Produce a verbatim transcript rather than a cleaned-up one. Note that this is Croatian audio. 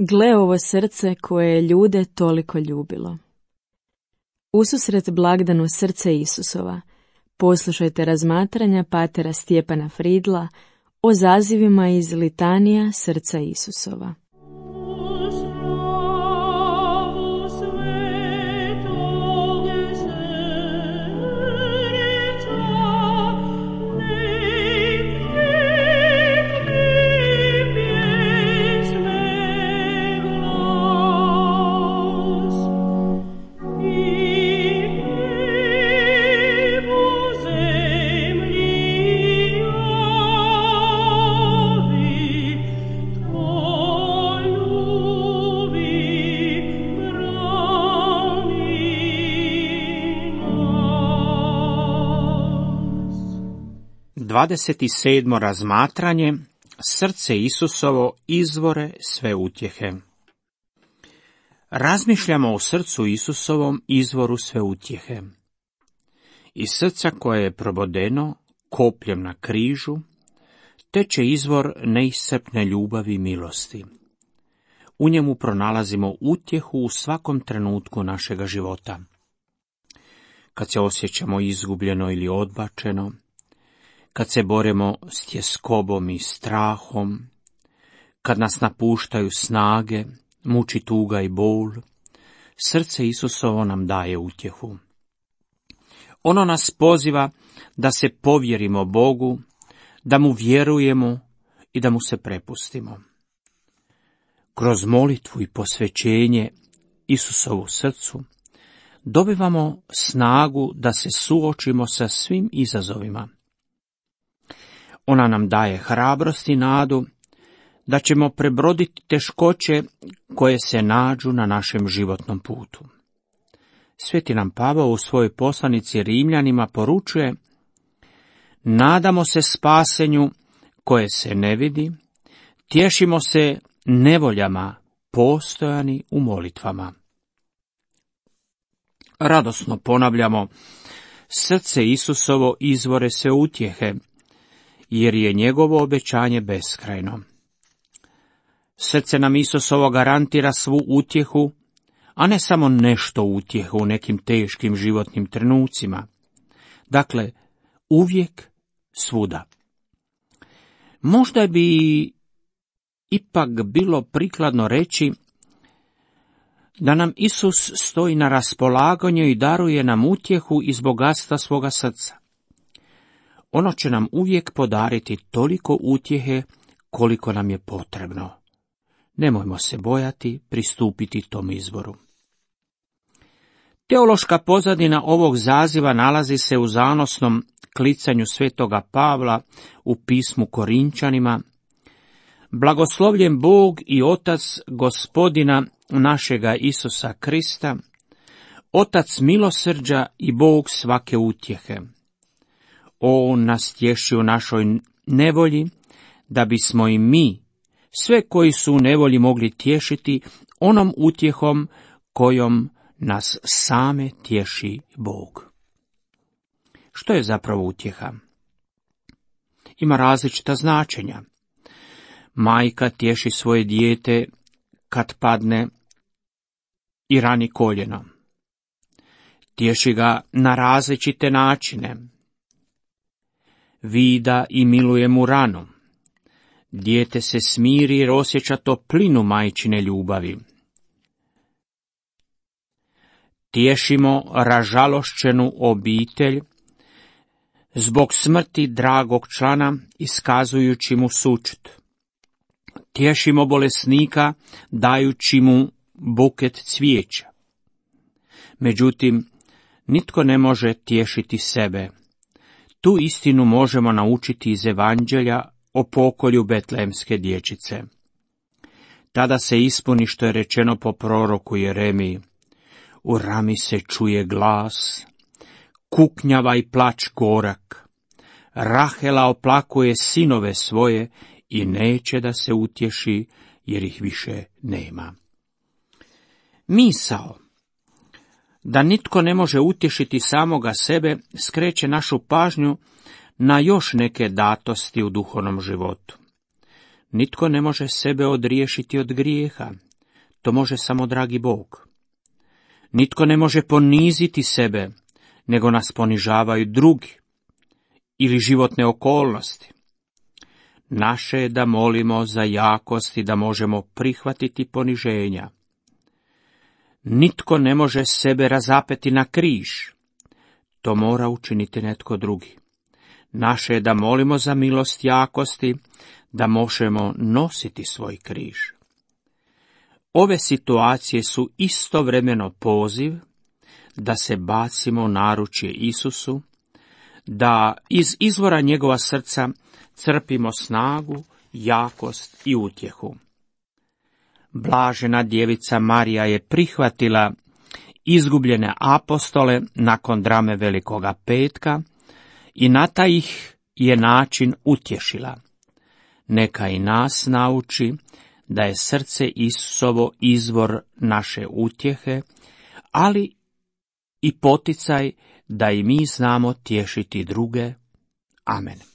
Gle ovo srce koje je ljude toliko ljubilo. Ususret blagdanu srce Isusova, poslušajte razmatranja patera Stjepana Fridla o zazivima iz litanija srca Isusova. dvadeset sedmo razmatranje. Srce Isusovo, izvore sve utjehe. Razmišljamo o srcu Isusovom, izvoru sve utjehe. Iz srca koje je probodeno kopljem na križu, teče izvor neiscrpne ljubavi i milosti. U njemu pronalazimo utjehu u svakom trenutku našega života. Kad se osjećamo izgubljeno ili odbačeno, kad se borimo s tjeskobom i strahom, kad nas napuštaju snage, muči tuga i bol, srce Isusovo nam daje utjehu. Ono nas poziva da se povjerimo Bogu, da mu vjerujemo i da mu se prepustimo. Kroz molitvu i posvećenje Isusovu srcu dobivamo snagu da se suočimo sa svim izazovima. Ona nam daje hrabrost i nadu da ćemo prebroditi teškoće koje se nađu na našem životnom putu. Sveti nam Pavao u svojoj poslanici Rimljanima poručuje: nadamo se spasenju koje se ne vidi, tješimo se nevoljama, postojani u molitvama. Radosno ponavljamo: srce Isusovo, izvore sve utjehe, jer je njegovo obećanje beskrajno. Srce nam Isusovo garantira svu utjehu, a ne samo nešto utjehu u nekim teškim životnim trenucima. Dakle, uvijek, svuda. Možda bi ipak bilo prikladno reći da nam Isus stoji na raspolaganju i daruje nam utjehu iz bogatstva svoga srca. Ono će nam uvijek podariti toliko utjehe koliko nam je potrebno. Nemojmo se bojati pristupiti tom izvoru. Teološka pozadina ovog zaziva nalazi se u zanosnom klicanju svetoga Pavla u pismu Korinčanima: blagoslovljen Bog i Otac Gospodina našega Isusa Krista, Otac milosrđa i Bog svake utjehe. On nas tješi u našoj nevolji, da bismo i mi, sve koji su u nevolji, mogli tješiti onom utjehom kojom nas same tješi Bog. Što je zapravo utjeha? Ima različita značenja. Majka tješi svoje dijete kad padne i rani koljeno. Tješi ga na različite načine. Vida i miluje mu ranu. Dijete se smiri jer osjeća toplinu majčine ljubavi. Tješimo ražalošćenu obitelj zbog smrti dragog člana, iskazujući mu sućut. Tješimo bolesnika dajući mu buket cvijeća. Međutim, nitko ne može tješiti sebe. Tu istinu možemo naučiti iz Evanđelja o pokolju betlehemske dječice. Tada se ispuni što je rečeno po proroku Jeremiji: u Rami se čuje glas, kuknjava i plač gorak. Rahela oplakuje sinove svoje i neće da se utješi, jer ih više nema. Misao da nitko ne može utješiti samoga sebe skreće našu pažnju na još neke datosti u duhovnom životu. Nitko ne može sebe odriješiti od grijeha, To može samo dragi Bog. Nitko ne može poniziti sebe, nego nas ponižavaju drugi ili životne okolnosti. Naše je da molimo za jakost i da možemo prihvatiti poniženja. Nitko ne može sebe razapeti na križ. To mora učiniti netko drugi. Naše je da molimo za milost jakosti, da možemo nositi svoj križ. Ove situacije su istovremeno poziv da se bacimo u naručje Isusu, da iz izvora njegova srca crpimo snagu, jakost i utjehu. Blažena djevica Marija je prihvatila izgubljene apostole nakon drame Velikoga petka i na taj ih je način utješila. Neka i nas nauči da je srce Isusovo izvor naše utjehe, ali i poticaj da i mi znamo tješiti druge. Amen.